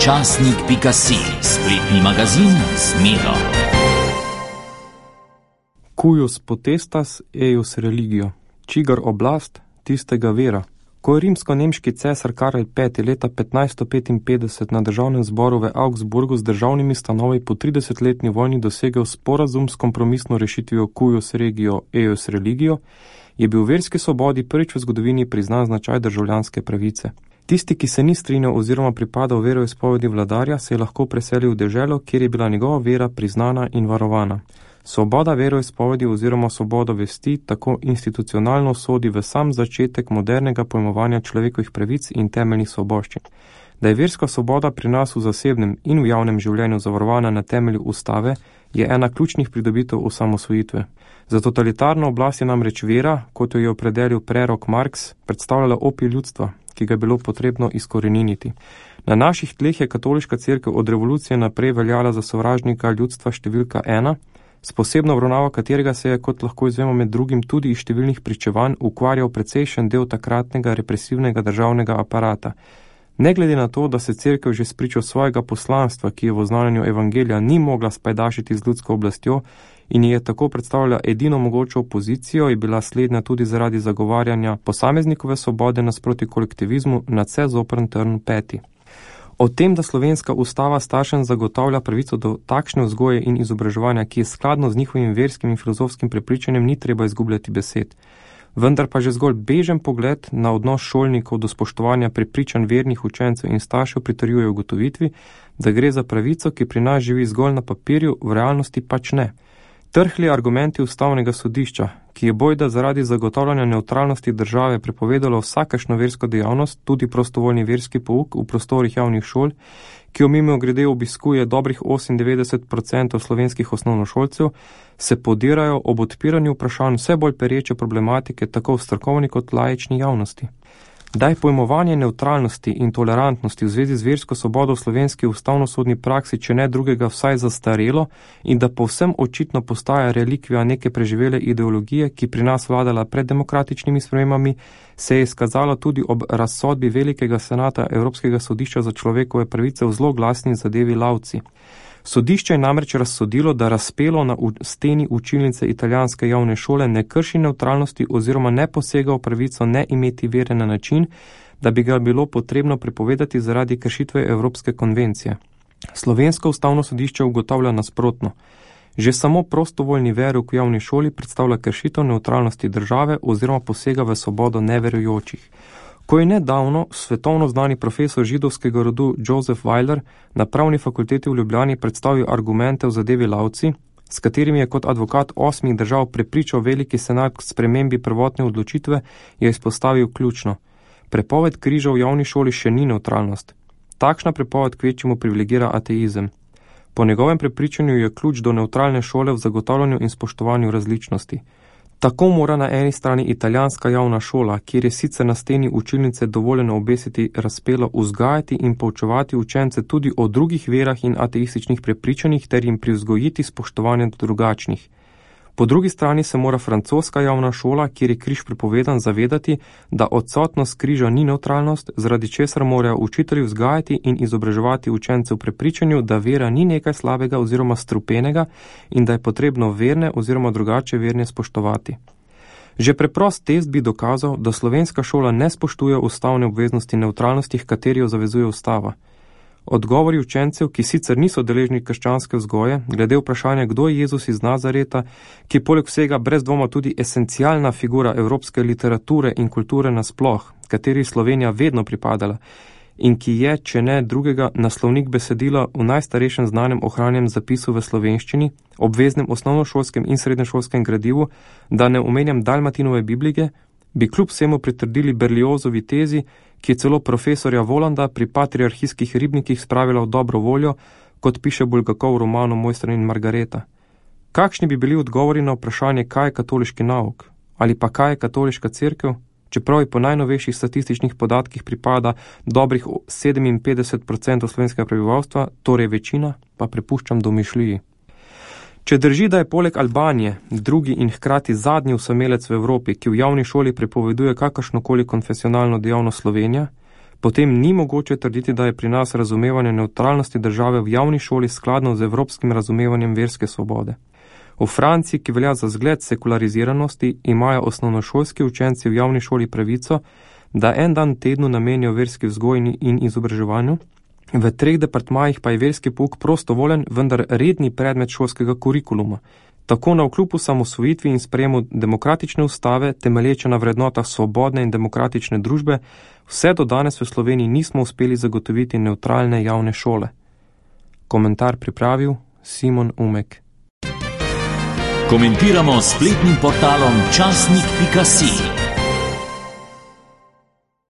Časnik.si, spletni magazin z Miro. Cuius potestas eius religio, čigar oblast, tistega vera. Ko je rimsko-nemški cesar Karel V. leta 1555 na državnem zboru v Augsburgu z državnimi stanovi po 30-letni vojni dosegel sporazum s kompromisno rešitvijo Cuius regio eius religio, je bil verski svobodi prvič v zgodovini priznan značaj državljanske pravice. Tisti, ki se ni strinjal oziroma pripadal veroizpovedi vladarja, se je lahko preselil v deželo, kjer je bila njegova vera priznana in varovana. Svoboda veroizpovedi oziroma svoboda vesti tako institucionalno sodi v sam začetek modernega pojmovanja človekovih pravic in temeljnih svoboščin. Da je verska svoboda pri nas v zasebnem in v javnem življenju zavarovana na temelju ustave, je ena ključnih pridobitev osamosvojitve. Za totalitarno oblast je namreč vera, kot jo je opredelil prerok Marx, predstavljala opij ljudstva, ki ga je bilo potrebno izkoreniniti. Na naših tleh je katoliška cerkev od revolucije naprej veljala za sovražnika ljudstva številka 1, s posebno obravnavo katerega se je, kot lahko izvemo med drugim tudi iz številnih pričevanj, ukvarjal precejšen del takratnega represivnega državnega aparata. Ne glede na to, da se cerkev že spričo svojega poslanstva, ki je v oznanjanju evangelija ni mogla spajdašiti z ljudsko oblastjo in je tako predstavljala edino mogočo opozicijo, je bila slednja tudi zaradi zagovarjanja posameznikove svobode nasproti kolektivizmu nadvse zoprn trn peti. O tem, da slovenska ustava staršem zagotavlja pravico do takšne vzgoje in izobraževanja, ki je skladno z njihovim verskim in filozofskim prepričanjem, ni treba izgubljati besed. Vendar pa že zgolj bežen pogled na odnos šolnikov do spoštovanja prepričanj vernih učencev in staršev pritrjuje ugotovitvi, da gre za pravico, ki pri nas živi zgolj na papirju, v realnosti pač ne. Trhli argumenti ustavnega sodišča, ki je bojda zaradi zagotavljanja nevtralnosti države prepovedalo vsakašno versko dejavnost, tudi prostovoljni verski pouk v prostorih javnih šol, ki jo mimogrede obiskuje dobrih 98% slovenskih osnovnošolcev, se podirajo ob odpiranju vprašanj vse bolj pereče problematike tako v strokovni kot laični javnosti. Da je pojmovanje nevtralnosti in tolerantnosti v zvezi z versko svobodo v slovenski ustavnosodni praksi, če ne drugega, vsaj zastarelo in da povsem očitno postaja relikvija neke preživele ideologije, ki pri nas vladala pred demokratičnimi spremembami, se je izkazalo tudi ob razsodbi Velikega senata Evropskega sodišča za človekove pravice v zloglasni zadevi Lauci. Sodišče je namreč razsodilo, da razpelo na steni učilnice italijanske javne šole ne krši nevtralnosti oziroma ne posega v pravico ne imeti vere na način, da bi ga bilo potrebno prepovedati zaradi kršitve Evropske konvencije. Slovensko ustavno sodišče ugotavlja nasprotno. Že samo prostovoljni verouk v javni šoli predstavlja kršitev nevtralnosti države oziroma posega v svobodo neverujočih. Ko je nedavno svetovno znani profesor židovskega rodu Joseph Weiler na Pravni fakulteti v Ljubljani predstavil argumente v zadevi Lauci, s katerimi je kot advokat 8 držav prepričal Veliki senat k spremembi prvotne odločitve, je izpostavil ključno. Prepoved križa v javni šoli še ni nevtralnost. Takšna prepoved kvečjemu privilegira ateizem. Po njegovem prepričanju je ključ do nevtralne šole v zagotavljanju in spoštovanju različnosti. Tako mora na eni strani italijanska javna šola, kjer je sicer na steni učilnice dovoljeno obesiti razpelo, vzgajati in poučevati učence tudi o drugih verah in ateističnih prepričanjih ter jim privzgojiti spoštovanje do drugačnih. Po drugi strani se mora francoska javna šola, kjer je križ prepovedan, zavedati, da odsotnost križa ni nevtralnost, zaradi česar morajo učitelji vzgajati in izobraževati učence v prepričanju, da vera ni nekaj slabega oziroma strupenega in da je potrebno verne oziroma drugače verne spoštovati. Že preprost test bi dokazal, da slovenska šola ne spoštuje ustavne obveznosti nevtralnosti, h kateri jo zavezuje ustava. Odgovori učencev, ki sicer niso deležni krščanske vzgoje, glede vprašanja, kdo je Jezus iz Nazareta, ki je poleg vsega brez dvoma tudi esencialna figura evropske literature in kulture nasploh, kateri Slovenija vedno pripadala, in ki je, če ne drugega, naslovnik besedila v najstarejšem znanem ohranjenem zapisu v slovenščini, obveznem osnovnošolskem in srednješolskem gradivu, da ne omenjam Dalmatinove Biblije, bi kljub vsemu pritrdili Berliozovi tezi, ki je celo profesorja Volanda pri patriarhijskih ribnikih spravila v dobro voljo, kot piše Bulgakov v romanu Mojster in Margareta. Kakšni bi bili odgovori na vprašanje, kaj je katoliški nauk? Ali pa kaj je katoliška cerkev? Čeprav je po najnovejših statističnih podatkih pripada dobrih 57% slovenskega prebivalstva, torej večina, pa prepuščam domišljiji. Če drži, da je poleg Albanije drugi in hkrati zadnji osamelec v Evropi, ki v javni šoli prepoveduje kakršnokoli konfesionalno dejavnost Slovenija, potem ni mogoče trditi, da je pri nas razumevanje nevtralnosti države v javni šoli skladno z evropskim razumevanjem verske svobode. V Franciji, ki velja za zgled sekulariziranosti, imajo osnovnošolski učenci v javni šoli pravico, da en dan tednu namenijo verski vzgoji in izobraževanju, v 3 departmajih pa je verski pouk prostovoljen, vendar redni predmet šolskega kurikuluma. Tako navkljub osamosvojitvi in sprejemu demokratične ustave, temelječe na vrednotah svobodne in demokratične družbe, vse do danes v Sloveniji nismo uspeli zagotoviti nevtralne javne šole. Komentar pripravil Simon Umek. Komentiramo s spletnim portalom časnik.si.